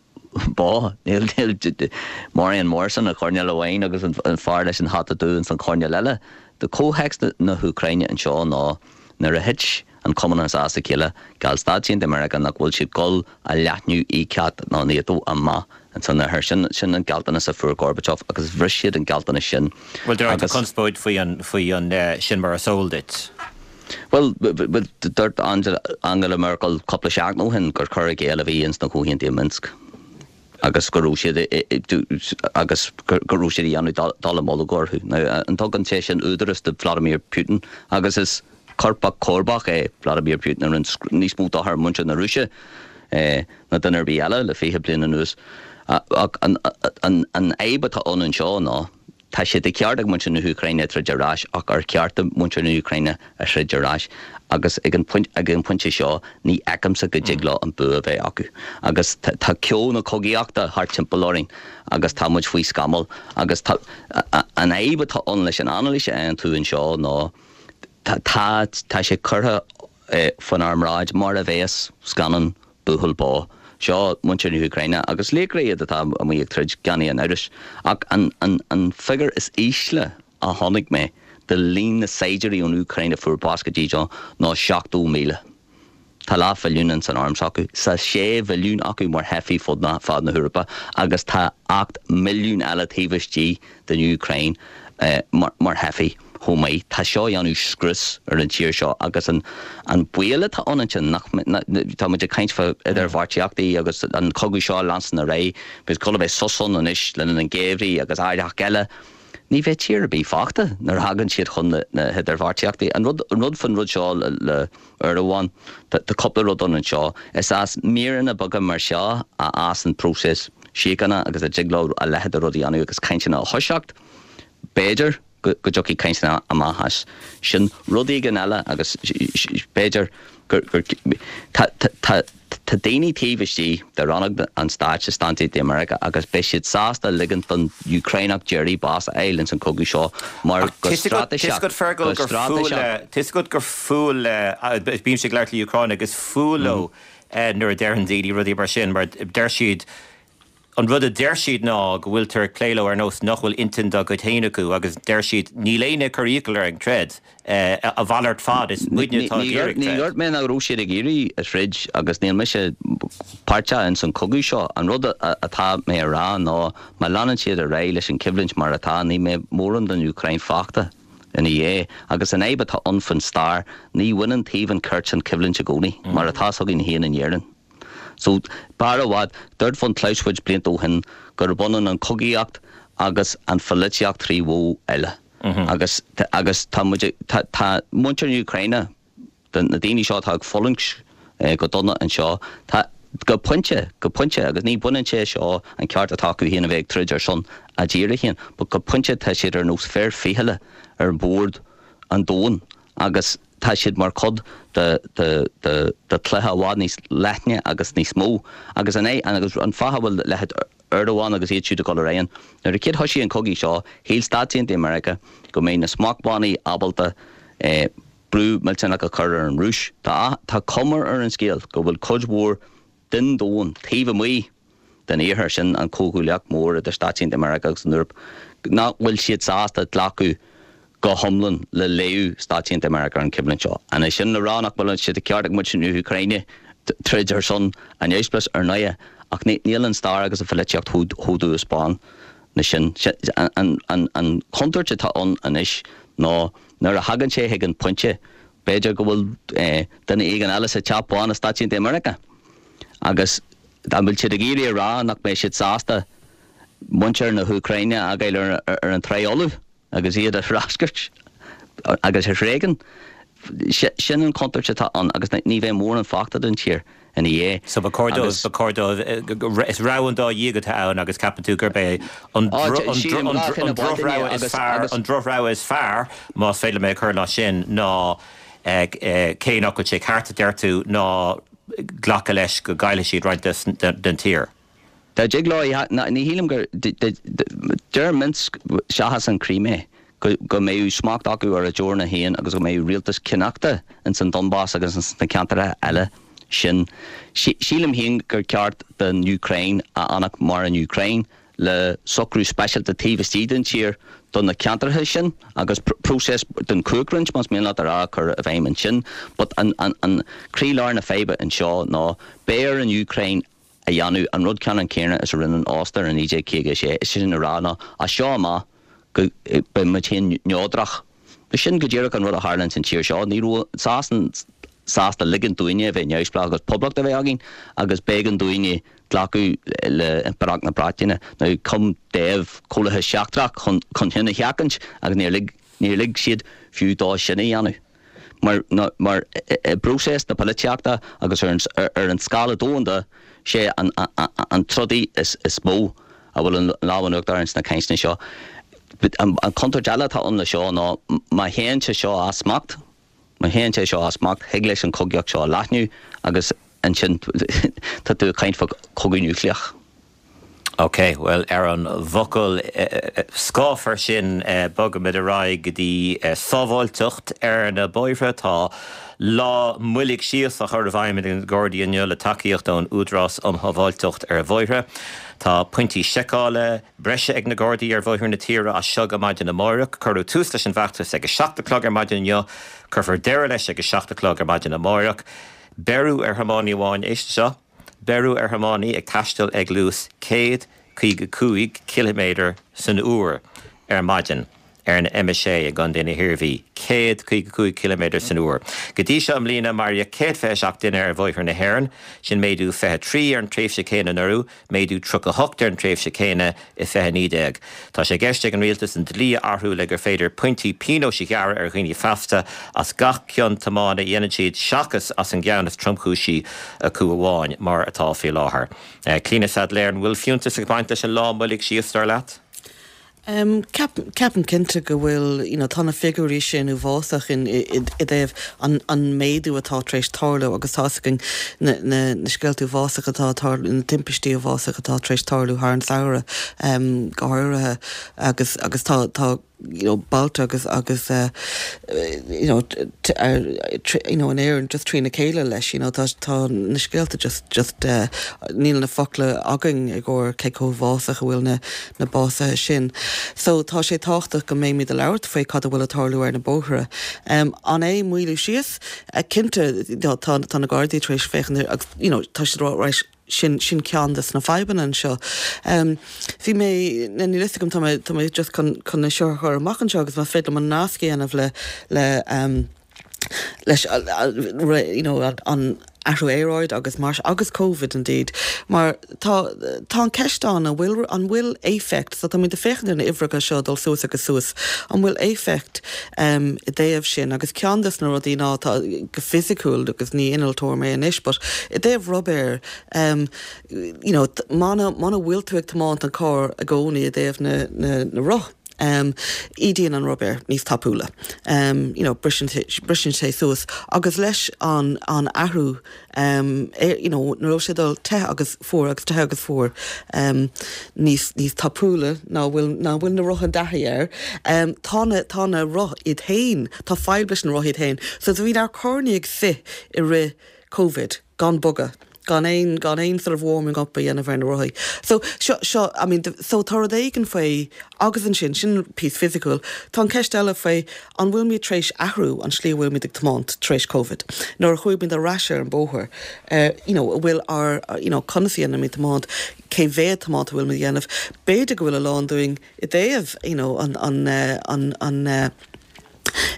bá níl níl Marion Morrison an choirnéal amháin agus an, an fear leis an hata dubh san choirnéal eile. De comhthéacs na, na hÚcráine anseo ná nuair a thit an Cumannachas as a chéile gheall Stáit Aontaithe Meiriceá nach bhfuil siad gul a leathnú ICAT ná NATO amach an san her sin sin an gealltanas a fuair Gorbachev agus bhris siad an gealltanas sin. Well deir Agus- conspóid faoi an faoi an eh, sin mar is eol duit. Well dúirt Angela, Angela Merkel cúpla seachtain ó shin gur cur i gcéill a bhí ins na comhaontuithe Minsk. agus go raibh siad i- i- du- agus go go raibh siad ag déanamh dallamullóg orthu. Now, an tugann sé sin údaras do Vladimir Putin agus is coirpeach comharbach é Vladimir Putin ar an níos mó dochar muintir na Rúise ná duine ar bith eile le fiche bliain anuas. Ach an fhadhb atá ann anseo ná tá sé de cheart ag muintir na hÚcráine troid ar ais ach ar cheart do mhuintir na hÚcráine a throid ar ais agus ag an ag an pointe seo ní fheicimse go dtig leo an bua a bheith acu. Agus tá ceo na cogaíochta thart timpeall orainn agus tá muid faoi scamall agus tá an fhadhb atá ann leis an anailís a dhéanann tú anseo ná tá tá sé curtha faoinár mbráid mar a bheas scannán buachaill bó. Seo muintir na hÚcráine agus laochra iad atá amuigh ag troid gan aon amhras. Ach an an an figiúr is ísle a chonaic mé de líon na saighdiúirí ón Úcráin a fuair bás go dtí seo ná seachtó míle. Tá leathmhilliún ins an arm s'acu, tá sé mhilliún acu mar theifigh fud na fad na hEorpa agus tá ocht milliún eile taobh istigh den Úcráin mar mar theifigh chomh maith. Tá seo ag déanamh scrios ar an tír seo agus an an baol atá ann ansin nach tá muid ag caint fá idirbheartaíochtaí agus an cogadh seo leanstan ar aghaidh, beidh cul a bheith sos ann anois le linn an gheimhridh agus áireach eile. Ní bheidh tír ar bith fágtha nuair a thagann siad chun na na hidirbheartaíochtaí. An rud an rud fan rud seo le le Erdogan, tá tá cúpla rud ann anseo, is as míreanna beaga mar seo a fhásann próiseas síochána agus a dtig leo a leithéid de rud a dhéanamh agus cainteanna a thoiseacht, b'fhéidir go dtiocfaidh cainteanna amach as sin. Rud éigin eile agus b'fhéidir gur tá daoine taobh istigh de rannóg an stáit i Stáit Aontaithe Meiriceá agus beidh siad sásta ligint don Úcráineach deiridh bás a fháil ins an cogadh seo mar go straitéiseach, go straitéiseach. Tá 'fhios agat gur fuath le, bímse ag labhairt le Úcránaigh, is fuath leo nuair a deireann daoine rudaí mar sin mar deir siad, An rud a deir siad ná go bhfuiltear ag plé leo ar nós nach bhfuil intinn dá gcuid féin acu agus deir siad níl éinne ag cur iachall orainn troid, a mhalairt fad, is muidne atá ag iarraidh troid. Ní dúirt mé nach raibh siad ag iarraidh a throid agus níl mise páirteach ins an chogadh seo. An rud atá mé a rá ná má leanann siad ar aghaidh leis an choimhlint mar atá, ní mbeidh mórán den Úcráin fágtha ina dhiaidh. Agus an fhadhb atá ann faoin stair, ní bhaineann taobh an chirt an choimhlint i gcónaí, mar atá 's againn féin in Éirinn. So, b'fhearr i bhfad, dúirt von Clausewitz blianta ó shin gurb ionann an chogaíocht agus an pholaitíocht trí mhodh eile. Agus, agus tá muid ag, tá, tá muintir na hÚcráine, na daoine seo atá ag fulaingt go dona anseo, tá, go pointe, go pointe, agus ní bhaineann sé seo an ceart atá acu féin a bheith ag troid ar son a dtíre féin, but go pointe tá siad ar nós fear fichille ar bhord an domhain agus tá siad mar chuid de chluiche i bhfad níos leithne agus níos mó. Agus an é agus an fáth a bhfuil leithéid Erdogan agus iad siúd ag dul ar aghaidh, nuair a chéad thoisigh an cogaidh seo, shíl Stáit Aontaithe Meiriceá go mbeidh na smachtbhannaí ábalta brú millteanach a chur ar an Rúis. Tá tá cuma ar an scéal go bhfuil cuid mhór den domhan taobh amuigh den iarthar, sin an comhghuaillíocht mhór idir Stáit Aontaithe Meiriceá agus an Eoraip, nach bhfuil siad sásta glacadh go hiomlán le léamh Stáit Aontaithe Meiriceá ar an choimhlint seo. An é sin le rá nach bhfuil sé de cheart ag muintir na hÚcráine troid ar son a neamhspleáchais? Ar ndóighe, ach níl an stair agus an pholaitíocht chomh dubh is bán na sin. An chontúirt atá ann anois ná nuair a thagann sé chuig an pointe, b'fhéidir go bhfuil duine éigin eile sa Teach Bán i Stáit Aontaithe Meiriceá agus an bhfuil siad ag iarraidh a rá nach mbeidh siad sásta muintir na hÚcráine a fhágáil ar an trá fholamh? agus iad a threascairt agus a thréigean. Sin an chontúirt atá ann agus ní bheidh mórán fágtha den tír ina dhiaidh. So ba chóir dóibh, ba chóir dóibh, is rogha an dá dhéag atá ann agus ceapann tú gurb é an drochrogha is fearr, an drochrogha is fearr, más féidir liom é a chur mar sin, ná cé nach bhfuil sé ceart, a deir tú, ná glacadh leis go gcaillfidh siad roinnt den tír. Dá dtig leo, ní shílim gur, deir Minsk seachas an Chrimé go mbeadh smacht acu ar a dteorainn féin agus go mbeadh rialtas cineachta ins an Donbas agus ins na ceantracha eile sin. Sílim féin gur ceart don Úcráin a fhanacht mar an Úcráin le socrú speisialta taobh istigh den tír do na ceantracha sin agus próiseas den chumhachtroinnt, más mian leat a rá, a chur i bhfeidhm ansin. But an croílár na faidhbe anseo ná beidh ar an Úcráin a dhéanamh an rud ceannann céanna is a rinne an Ostair i naoi déag caoga a sé, is é sin a rá ná as seo amach go beidh muid féin neodrach. Sin go díreach an rud a tharla ins an tír seo. Ní raibh Sasain sásta ligint dúinne a bheith neamhspleách agus poblacht a bheith againn agus b'éigean dúinne glacadh le Impireacht na Breataine. Now chum dáimh comhlathas seachtrach chun chun sin a sheachaint agus níor lig níor lig siad fiú dó sin a dhéanamh. Mar mar i bpróiseas na polaitíochta agus ar an ar an scála domhanda sé an an trodaí is is mó a bhfuil an lámh in uachtar ins na cainteanna seo. An an contúirt eile atá ann le seo ná má théann sé seo as smacht, má théann sé seo as smacht, thig leis an chogaíocht seo leathnú agus ansin tá tú ag caint fá chogadh núicléach. Ok, bhuel ar an bhfocal scáfar sin bogaimid ar aghaidh go dtí sábháilteacht ar na bóithre. Tá lá moilligh síos á chur i bhfeidhm ag na Gardaí inniu le tacaíocht ón Údarás um Shábháilteacht ar Bhóithre. Tá pointí seiceála breise ag na Gardaí ar bhóithre na tíre as seo go maidin amárach. Cuireadh tús leis an bhfeachtas ag a seacht a chlog ar maidin inniu. Cuirfear deireadh leis ag a seacht a chlog ar maidin amárach. Beireadh ar thiománaí amháin, éist seo, beireadh ar thiománaí ag taisteal ag luas céad caoga cúig ciliméadar san uair ar maidin ar an M a sé i gContae na hIarmhí. céad caoga cúig ciliméadar san uair. Go dtí seo i mbliana maraíodh céad fiche seacht duine ar bhóithre na hÉireann, sin méadú fiche trí ar an tréimhse chéanna anuraidh, méadú tríocha hocht ar an tréimhse chéanna i fiche naoi déag. Tá sé i gceist ag an rialtas an dlí a athrú le gur féidir pointí pionóis a ghearradh ar dhaoine feasta as gach cion tiomána a dhéanann siad seachas as an gceann is tromchúisí acu amháin, mar atá faoi láthair. Clíona Saidléar, an bhfuil fiúntas ag baint leis an lá moilligh síos, dar leat? Um, ceapaim cinnte go bhfuil you know, tá na figiúirí sin uafásach in i dtaobh an, an méadú atá tar éis tarlú agus tá againn na, na, na scéalta uafásach atá tarlú na timpistí uafásach atá tar éis tarlú thar an samhradh um, go háirithe agus agus tá tá you know, bailte agus agus uh, you know, uh, you know, in Éirinn just trína chéile leis you know, tá tá na scéalta just just uh, níl na focla againn i gcóir cé chomh uafásach a bhfuil na na básuithe sin. So tá sé tábhachtach go mbeimid ag labhairt faoi cad a bhfuil ag tarlú ar na bóithre. Um, an é moilliú síos uh, cinnte tá tá na Gardaí tar éis féachaint agus you know, tá siad réis sin sin ceann des na fadhbanna anseo. Um, Bhí mé ní gom tá tá mé just chun chun na seo chur amach anseo agus má féidir an nasc a dhéanamh le le um, leis you know, an athrú aeráide agus mar agus COVID indeed. Mar tá tá an ceist an an bhfuil an bhfuil éifeacht, so tá muid ag féachaint ar na uimhreacha seo dul suas agus suas, an bhfuil éifeacht um, i dtaobh sin agus ceann des na rudaí ná tá go fisiciúil agus ní innealtóir mé anois, but i dtaobh rubair um, you know, mana mana bhfuil tú ag tiomáint an carr i gcónaí i dtaobh na, na, na roth. Um, ídíonn an rubair níos tapúla. Um, you know, briseann sé suas agus leis an, an athrú um, er, you know, nuair sé dul te agus fuar agus te agus fuar um, níos, níos tapúla ná bhfuil ná bhfuil na roth an dath air. Um, tá na, tá na roth iad féin, tá fadhb leis na roth iad féin. So bhí ár carranna ag suí i rith COVID gan bogadh. gan aon gan aon sort of warming up a dhéanamh ar na rothaí. So seo seo I mean so tá rud éigin faoi agus ansin sin píosa fisiciúil, Tá an ceist eile faoi an bhfuil muid tar éis athrú an slí bhfuil muid ag tiomáint tar éis COVID. Nuair a chuaigh muid ar ais ar an bóthar, uh, you know, bhfuil ár you know, conas a dhéanaimid tiomáint, cé mhéad tiomáint bhfuil muid a dhéanamh, B'fhéidir go bhfuil a lán dúinn i dtaobh you know, an, an, uh, an, an uh,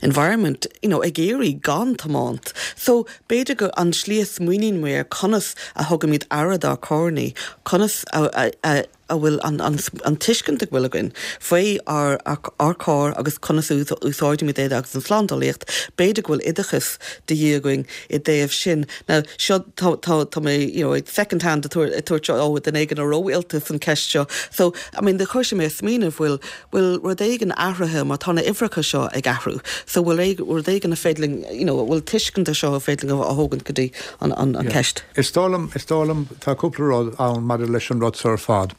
environment you know, ag éirí gan tiomáint. So b'fhéidir go an slí a smaoiníonn muid ar conas a thugaimid aire dár gcarranna, conas a, a, a, a bhfuil an, an, an tuiscint a bhfuil againn faoi ár, ár carr agus conas úsáidimid é agus an slándálaíocht, b'fhéidir go bhfuil oideachas de dhíth againn i dtaobh sin. Now seo tá tá tá mé you know, second hand tuairt ó den éigen a róilta san ceist seo. So I mean, de chuir sé mé smaoineamh bhfuil bhfuil rud éigin athraithe mar tá na uimhreacha seo ag athrú. So bhfuil rud éigin a féidir you know, bhfuil tuiscint seo a féidir a thógaint go dtí an, an, an ceist. Is dóigh liom is dóigh liom tá cúpla rud ann maidir leis an rud seo ar fad.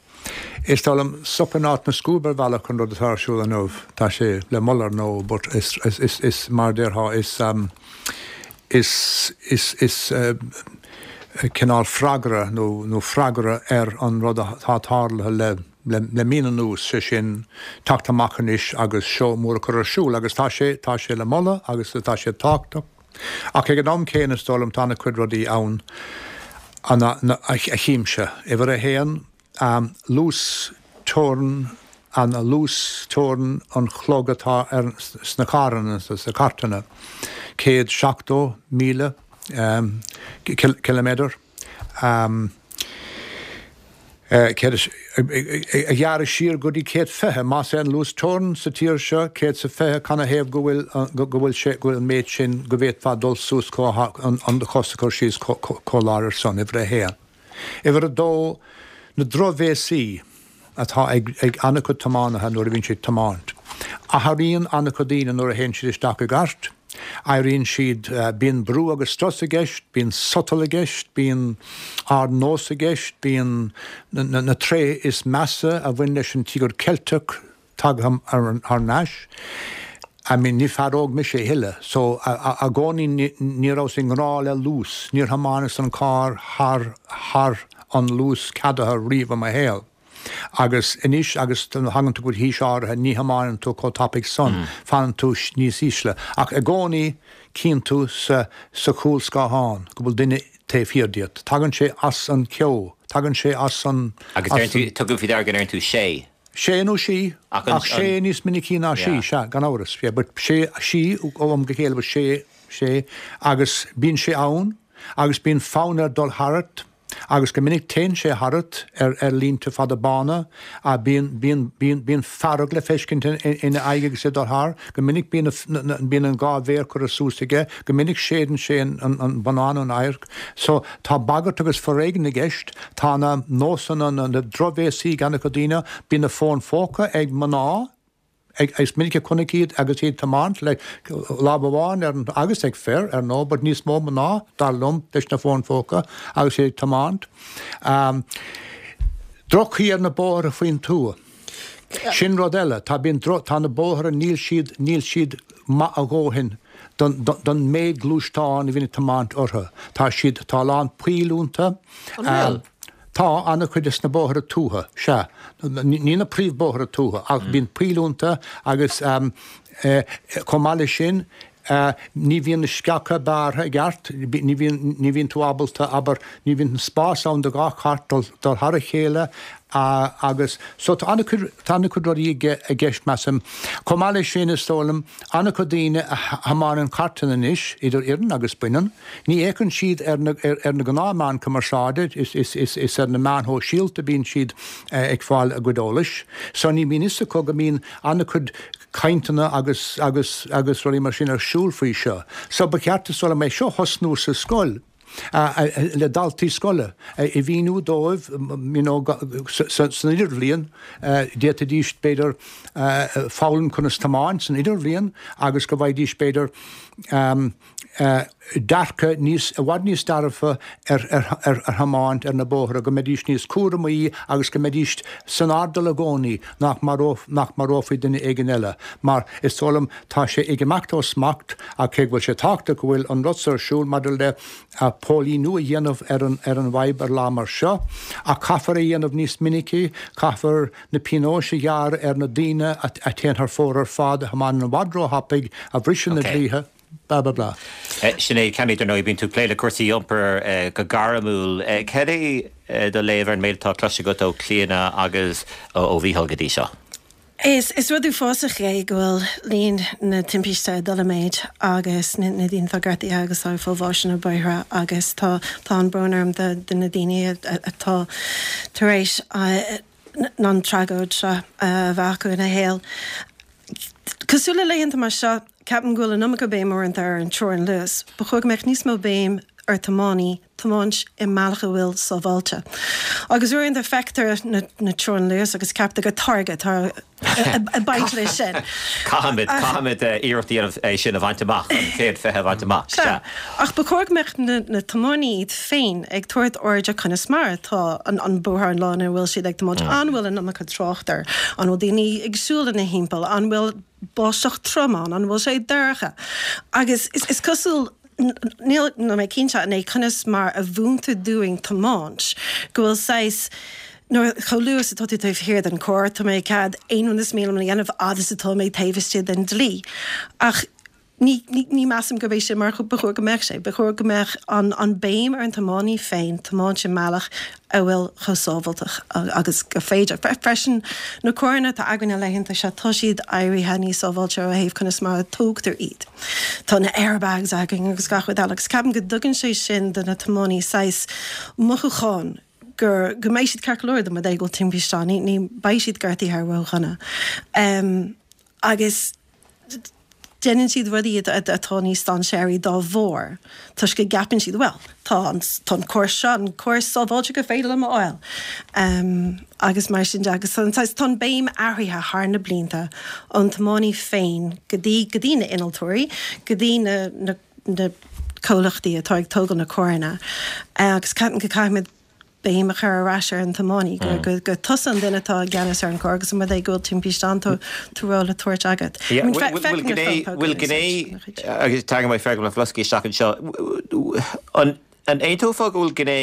Is dóigh liom sop in áit na scuab ar bhealach an rud atá ar siúl inniu tá sé le moladh nó but is, is, is, is mar déarfá is um, is is is uh, cineál freagra nó nó freagra ar an rud atá tarlaithe le le, le mí anuas sé sin teacht amach anois agus seo mór a chur ar siúl agus tá sé tá sé le moladh agus tá sé tábhachtach. Ach ag an am céanna is dóigh liom tá cuid rudaí ann an a, a, a chímse. Uimhir a haon um, luas teorann an luas teorann an chlog atá ar sna carranna sa cairteanna. Céad seachtó míle um, kilometer. Um, céad is, a ghearradh siar go dtí céad fiche, más é an luas teorann sa tír seo céad is a fiche, canathaobh go bhfuil, go bhfuil sé, go bhfuil an méid sin, go bhféadfá dul suas chomh, an, an do chos a chur síos chomh láidir san, uimhir a haon. Uimhir a dó, na drochbhéasaí atá ag, ag an-chuid tiománaithe nuair a bhíonn siad ag tiomáint. Athraíonn an-chuid daoine nuair a théann siad isteach i gcairt. Éiríonn siad, bíonn brú agus strus i gceist, bíonn sotal i gceist, bíonn ardnós i gceist, bíonn na tréithe is measa a bhain leis an Tíogar Ceilteach tagtha thar n-ais. I mean, ní fear óg mise a thuilleadh, so i gcónaí ní rabhas i ngrá le luas, níor thiomáineas an carr thar thar an luas ceadaithe riamh i mo shaol. Agus anois agus thagann tú go haois áirithe ní thiomáineann tú chomh tapaidh san, fanann tú níos ísle. Ach i gcónaí cíonn tú sa sa chúlscáthán go bhfuil duine taobh thiar díot. Tagann sé as an cheo, tagann sé as an. Agus deireann tú, tugaim faoi deara go ndeireann tú sé. Sé nó sí, ach sé níos minicí ná sí, sea, gan amhras. Yeah, but sé, sí ó am go chéile, but sé, sé, agus bíonn sé ann agus bíonn fonn air dul tharat agus go minic téann sé tharat ar ar línte fada bána, bíonn, bíonn, bíonn, bíonn fearg le feiscint ina aghaidh agus é ag dul thar, go minic bíonn na, bíonn an dhá mhéar curtha suas aige, go minic séideann sé an, an, an bonnán ón adharc. So, tá bagairt agus foréigean i gceist, tá na nósanna, na, na drochbhéasaí ag an-chuid daoine, bíonn na fóin phóca ag mná, Is minic a chonac iad agus iad ag tiomáint le lámh amháin ar an, agus ag fir, ar ndóigh, but níos mó mná, dar liom, leis na fóin phóca agus iad ag tiomáint. Droch-chaoi ar na bóithre faoin tuath. Sin rud eile. Tá, bíonn, tá na bóithre, níl siad, níl siad maith a dhóthain don, don méid gluaisteán a bhíonn ag tiomáint orthu. Tá siad, tá a lán poill iontu. An bhfuil? Tá an-chuid de na bóithre tuaithe, sea. Ní na príomhbhóithre tuaithe, ach bíonn poill iontu agus chomh maith leis sin, ní bhíonn na sceacha bearrtha i gceart, ní bhíonn, ní bhíonn tú ábalta, abair, ní bhíonn an spás ann do dhá chairt dul, dul thar a chéile agus so tá an-chuid, tá an-chuid rudaí i gceist, measaim. Chomh maith leis sin, is dóigh liom, an-chuid daoine a thiomáineann cairteanna anois, idir fhireann agus baineann, ní fhéachann siad ar na, ar na gnáthmheáin cumarsáide, is, is, is, is ar na meáin shóisialta a bíonn siad ag fáil a gcuid eolais. So ní bhíonn fhios acu go mbíonn an-chuid cainteanna agus, agus, agus rudaí mar sin ar siúl faoi seo. So ba cheart, is dóigh liom, é seo a thosnú sa scoil. le daltaí scoile, a mhíniú dóibh you know san idirbhliain, d'fhéadfaidís b'fhéidir foghlaim conas tiomáint san idirbhliain agus go bhfaighidís b'fhéidir dearcadh níos, i bhfad níos dearfa ar ar thiomáint ar na bóithre, go mbeidís níos cúramaí agus go mbeidís san airdeall i gcónaí nach nach marófaí duine éigin eile mar is dóigh liom tá sé ag imeacht ó smacht ach cé go bhfuil sé tábhachtach go bhfuil an rud seo ar siúl maidir le póilíniú a dhéanamh ar an ar an bhfadhb ar lá mar seo ach caithfear é a dhéanamh níos minicí, caithfear na pionóis a ghearradh ar na daoine a théann thar fóir ar fad, a thiomáineann i bhfad róthapaidh, a bhriseann na dlíthe, blah blah blah. Sinéad Kenny, dar ndóigh, bíonn tú ag plé le cúrsaí iompair go gairmiúil. Cad é do léamh ar an méid atá cloiste agat ó Chlíodhna agus ó Mhícheál go dtí seo? Is is rud uafásach é go bhfuil líon na timpiste ag dul i méid agus na na daoine atá gortaithe agus atá ag fáil bháis ar na bóithre agus tá tá an brón orm do do na daoine atá tar éis an tragóid seo a bheith acu ina shaol. Cosúil le laethanta mar seo, ceapaim go bhfuil an iomarca béim uaireanta ar an teorainn luais. Ba chóir go mbeadh níos mó béim ar tiománaí tiomáint i mbealach a bhfuil sábháilte. Agus uaireanta feictear na na teorainn luais agus ceaptar gur táirge atá ag baint leis sin. Caithfimid, caithfimid iarracht a dhéanamh é sin a bhaint amach, an céad fiche a bhaint amach. Sea. Ach ba chóir go mbeadh na na tiománaí iad féin ag tabhairt aird ar conas mar atá an an bóthar an lá ina bhfuil siad ag tiomáint. An bhfuil an iomarca trácht air? An bhfuil daoine ag siúl ina thimpeall? An bhfuil báisteach trom ann? An bhfuil sé dorcha? Agus is is cosúil níl mé cinnte an é conas mar a mhúintear dúinn tiomáint, go bhfuil saghas, nuair, chomh luath is atá tú taobh thiar den charr, tá mé ag cead aon rud is mian liom a dhéanamh fhad is atá mé taobh istigh den dlí. Ach ní, ní, ní measaim gurb é sin mar ba chóir go mbeadh sé. Ba chóir go mbeadh an, an béim ar an tiománaí féin tiomáint i mbealach a bhfuil chomh sábháilteach agus gur féidir. Freisin, na carranna atá againn na laethanta seo, tá siad éirithe níos sábháilte ó thaobh conas mar a tógtar iad. Tá na airbags againn agus gach rud eile agus ceapaim go dtugann sé sin do na tiománaí saghas mothúchán gur go mbeidh siad ceart go leor dá mba rud é go bhfuil timpiste ann, ní ní beidh siad gortaithe ródhona. Agus déanann siad rudaí atá níos dainséaraí dá bharr, toisc go gceapann siad, bhuel, tá an tá an córas seo, an córas sábháilte gur féidir liom a fháil. Agus mar sin de. Agus tá an béim athraithe thar na blianta ón tiománaí féin go dtí go dtí na innealtóirí, go dtí na na na comhlachtaí atá ag tógáil na carranna agus ceapaim go caithfimid béim a chur ar ais ar an tiománaí, gur gur gur tusa an duine atá i gceannas ar an gcarr agus an rud é go bhfuil timpiste ann tá tá ról le tabhairt agat. I mean, Bhfuil feicim na gné fón póca bhfuil in gné úsáid ina chuid. agus tagann mé Fergal Mac Bhloscaidh isteach anseo, an an aontófá go bhfuil gné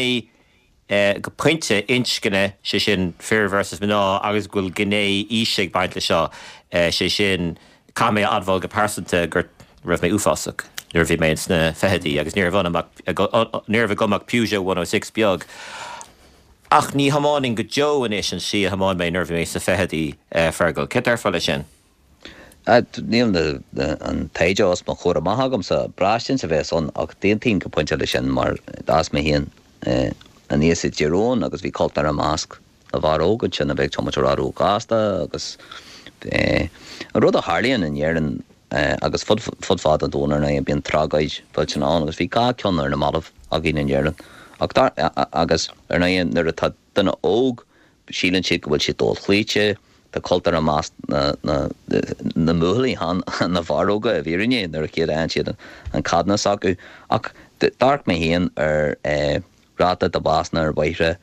go pointe inscne, sé sin fir versus mná, agus go bhfuil gné aoise ag baint leis seo, sé sin caithfidh mé a admháil go pearsanta go raibh mé uafásach nuair a bhí mé ins na fichidí agus ní raibh ionam ach ní raibh agam ach Peugeot one oh six beag. Ach ní thiománaim go deo anois an tslí a thiomáin mé nuair a bhí mé sna fichidí, Fergal. Céard déarfá leis sin? Níl an taighde os mo chomhair amach agamsa, braistint a bheas ann, ach d'aontaím go pointe leis sin mar d'fhás mé féin aníos i dTír Eoghain agus bhí cultúr i measc na bhfear óg ansin a bheith ag tiomáint i bhfad róghasta agus an rud a tharlaíonn in Éirinn agus fud fud fad an domhain ar ndóigh bíonn tragóid mhillteanach ann agus bhí dhá ceann ar na mallaibh againn in Éirinn ach dar agus ar ndóigh nuair atá duine óg síleann siad go bhfuil siad dochloíte tá cultúr i measc na na na mbuachaillí chan na bhfear óga i bhfírinne nuair a chéad a fhaigheann siad an ceadúnas acu ach d'amharc mé féin ar ráta de bhásanna ar bhóithre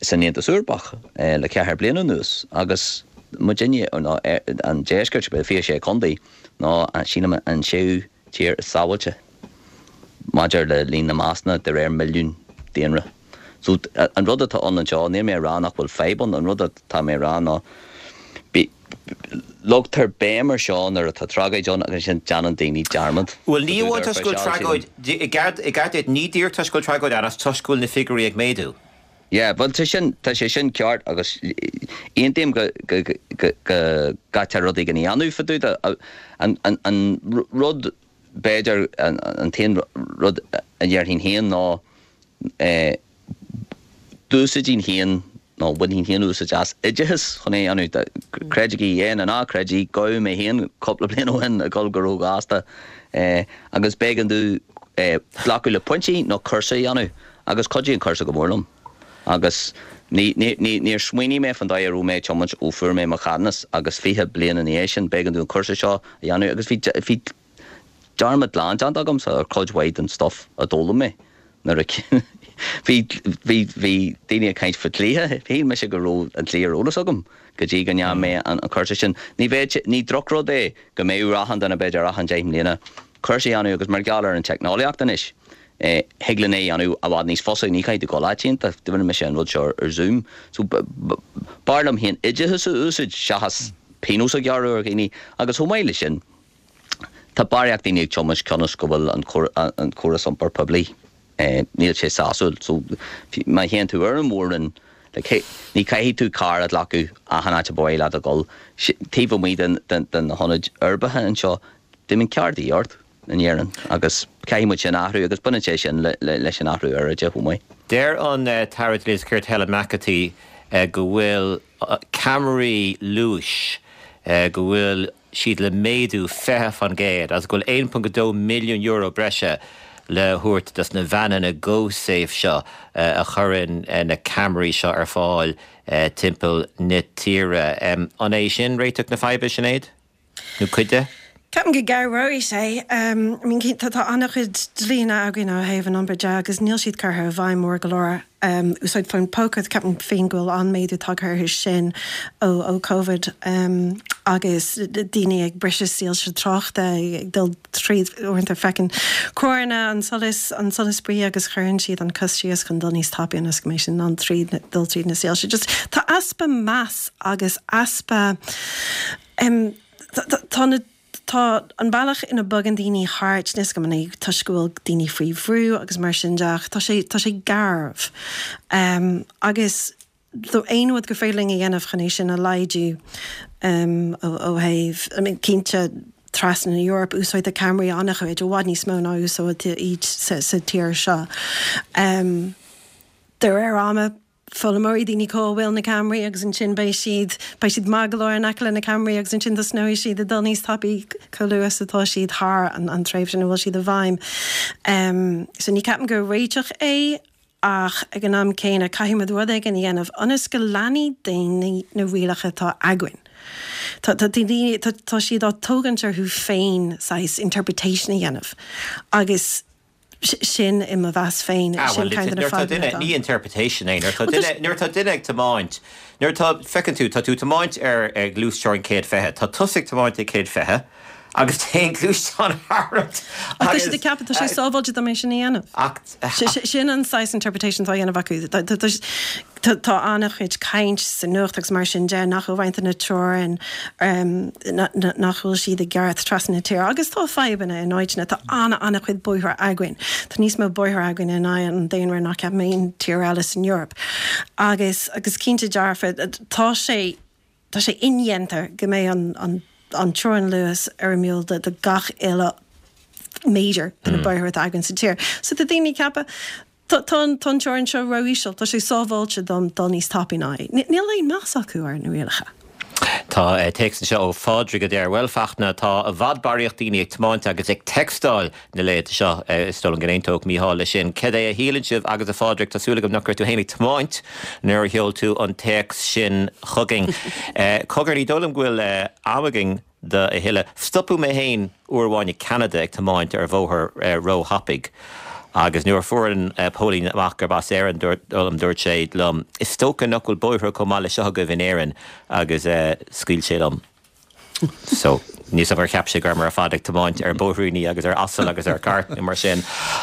san Aontas Eorpach le ceathair bliana anuas agus muidinne, nó an deisceart, fiche sé contae, ná sílim an séú tír is sábháilte maidir le líon na mbásanna de réir milliún daonra. So an rud atá ann anseo, níl mé ag rá nach bhfuil fadhb ann, an rud atá mé ag rá ná leagtar béim ar seo nuair atá tragóid ann agus ansin déanann daoine dearmad. Bhuel, ní amháin toisc go bhfuil tragóid, i gceart duit, ní díreach toisc go bhfuil tragóid ann ach toisc go bhfuil na figiúirí ag méadú. Yeah, bhuel tá sin, tá sé sin ceart agus aontaím go, go, go, go gcaithfear rud éigin a dhéanamh fá dtaobh de. An, an, an rud, b'fhéidir, an, an t-aon rud a déarfainn féin ná eh, d'úsáidfinn féin nó bhainfinn féin úsáid as oideachas chun é a dhéanamh. Creidigí é nó ná creidigí, gabhadh mé féin cúpla bliain ó shin ag dul go róghasta agus b'éigean domh glacadh le pointí nó cúrsa a dhéanamh agus chuidigh an cúrsa go mór liom. Agus ní, ní, ní, níor smaoinigh mé faoin dóigh a raibh mé ag tiomáint ó fuair mé mo cheadúnas agus fiche bliain ina dhiaidh sin b'éigean domh an cúrsa seo a dhéanamh agus bhí, bhí dearmad glan déanta agamsa ar chuid mhaith den stuff a d'fhoghlaim mé. Nuair a bhí bhí bhí daoine ag caint faoi dhlíthe, shíl mise go raibh an dlí ar eolas agam go dtí go ndearna mé an cúrsa sin. Ní bheadh ní drochrud é go mbeadh ar achan duine b'fhéidir achan deich mbliana cúrsa a dhéanamh agus mar gheall ar an teicneolaíocht anois thig linn é a dhéanamh i bhfad níos fusa, ní chaithfidh tú dul áit iontach, rinne mise an rud seo ar Zoom. So b'fhearr liom féin oideachas a úsáid seachas pionós a ghearradh ar dhaoine agus chomh maith leis sin tá barraíocht daoine ag tiomáint cionn is go bhfuil an córas iompair poiblí níl sé sásúil. So má théann tú ar an mhór-roinn, like, ní chaithfidh tú carr a ghlacadh achan áit a ba mhaith leat a dhul. Taobh amuigh den de na hionaid uirbeacha anseo, d'imíonn carr de dhíth ort in Éirinn agus caithfidh muid sin a athrú agus baineann sé sin leis an athrú aeráide chomh maith. Deir an tAire Dlí is Cirt Helen McEntee go bhfuil ceamaraí luais, go bhfuil siad le méadú fiche faoin gcéad agus go bhfuil aon ponc a dó milliún euro breise le thabhairt dos na veaineanna GoSafe seo a chuireann na ceamaraí seo ar fáil timpeall na tíre. An é sin réiteach na faidhbe, Sinéad? Nó cuid de? Ceapaim go gcabhróidh sé. I mean tá tá an-chuid dlíonna againn ó thaobh an iompair de agus níl siad curtha i bhfeidhm mór go leor. Úsáid fón póca, ceapaim féin go bhfuil an-méadú tagtha orthu sin ó ó Covid agus daoine ag briseadh soilse tráchta, ag dul tríd, uaireanta feiceann carranna an solas, an solas buí agus cuireann siad an cos síos chun dul níos tapaí ionas go mbeidh siad in ann tríd, dul tríd na soilse. Just tá easpa meas agus easpa tá na Tá an bealach ina bogann daoine thart, níl a fhios agam an é toisc go bhfuil daoine faoi bhrú agus mar sin de ach tá sé, tá sé garbh. Agus aon rud gur féidir linn a dhéanamh chun é sin a laghdú ó thaobh, I mean cinnte trasna na hEorpa úsáidtear ceamaraí an-chuid, i bhfad níos mó ná úsáidtear iad sa, sa tír seo. De réir ama, foghlaimeoirí, daoine cá bhfuil na ceamaraí agus ansin beidh siad, beidh siad maith go leor in aice le na ceamaraí agus ansin tosnóidh siad ag dul níos tapaí chomh luath is atá siad thar an, an tréimhse ina bhfuil siad i bhfeidhm. Um, so ní ceapaim gur réiteach é ach ag an am céanna caithfidh muid rud éigin a dhéanamh ionas go leanfaidh daoine na rialacha atá againn. Tá, tá, daoine, tá, tá siad á tógaint orthu féin saghas interpretation a dhéanamh agus sin i mo mheas féin Ah, sin well, kind of na nuair tá fadhbanna duine atá. ní interpretation é nuair tá Well, duine nuair tá duine ag tiomáint nuair tá feiceann tú tá tú tiomáint ar ar gluaisteán céad fiche Tá tusa ag tiomáint ag céad fiche agus téann gluaisteán tharat Ach tá siad ag ceapadh tá sé sábháilte dom é sin a dhéanamh. Ach Sin an saghas interpretation tá á dhéanamh acu. Tá- tá- tá- Tá tá an-chuid caint sa nuacht agus mar sin de nach bhfuil roinnt de na teorainn um, na- na- nach bhfuil siad i gceart trasna na tíre agus tá fadhbanna in áiteanna tá an an-chuid bóithre againn. Tá níos mó bóithre againn in aghaidh an daonra ná ceap aon tír eile san Eoraip. Agus agus cinnte dearfa tá sé tá sé indéanta go mbeidh an, an, an teorainn luas fhoirmiúil de, de gach uile méidir de na bóithre atá againn sa tír. So tá daoine ceapadh Tá tá an teorainn seo ró-íseal, tá sé sábháilte dom dul níos tapaí ná é. Níl aon meas acu ar na rialacha. Tá eh, téacs anseo ó Phádraig a deir well Fachtna tá i bhfad barraíocht daoine ag tiomáint agus ag textáil na laethanta seo eh, is dóigh liom go n-aontódh Mícheál leis sin. Cad é a shíleann sibh agus a Phádraig tá súil agam nach raibh tú féin ag tiomáint nuair a sheol tú an téacs sin chugainn. Eh, Cogar ní dóigh liom go bhfuil eh, am againn do a thuilleadh. Stopadh mé féin uair amháin i Canada ag tiomáint ar bhóthar eh, róthapaidh. Agus nuair fuair an uh, póilín amach gurb as Éirinn dúirt dúirt sé liom. Is dócha nach bhfuil bóithre chomh maith le seo agaibh in Éirinn agus uh, scaoil sé liom. So ní ar cheap sé gur mar a fad ag tiomáint ar bóithríní agus ar asal agus ar cairt mar sin.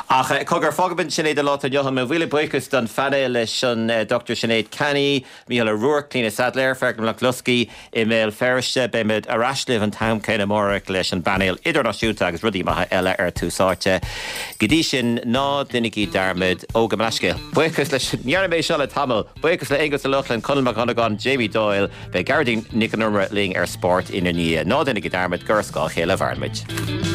Ach eh, cogar fágfaimid sin é don lá inniu mo mhíle buíochas don phainéal leis an eh, Dr Sinéad Canny, Mícheál Ó Ruairc, Clíona Saidléar, Fergal Mac Luscaí i mBéal Feirste beimid ar ais libh an t-am céanna amárach leis an bpainéal idirnáisiúnta agus rudaí maithe eile ar Tús Áite. Go dtí sin ná déanaigí dearmad ó go meisce. Buíochas leis ndearna mé seo le tamall, buíochas le Aonghus Ó Lochlainn Conall Mac Dhonnagáin Jamie Doyle, beidh Gearóidín Nic an Iomaire linn ar spórt ina ndiaidh. Ná déanaigí dearmad gur as dhá chéile a mhairimid.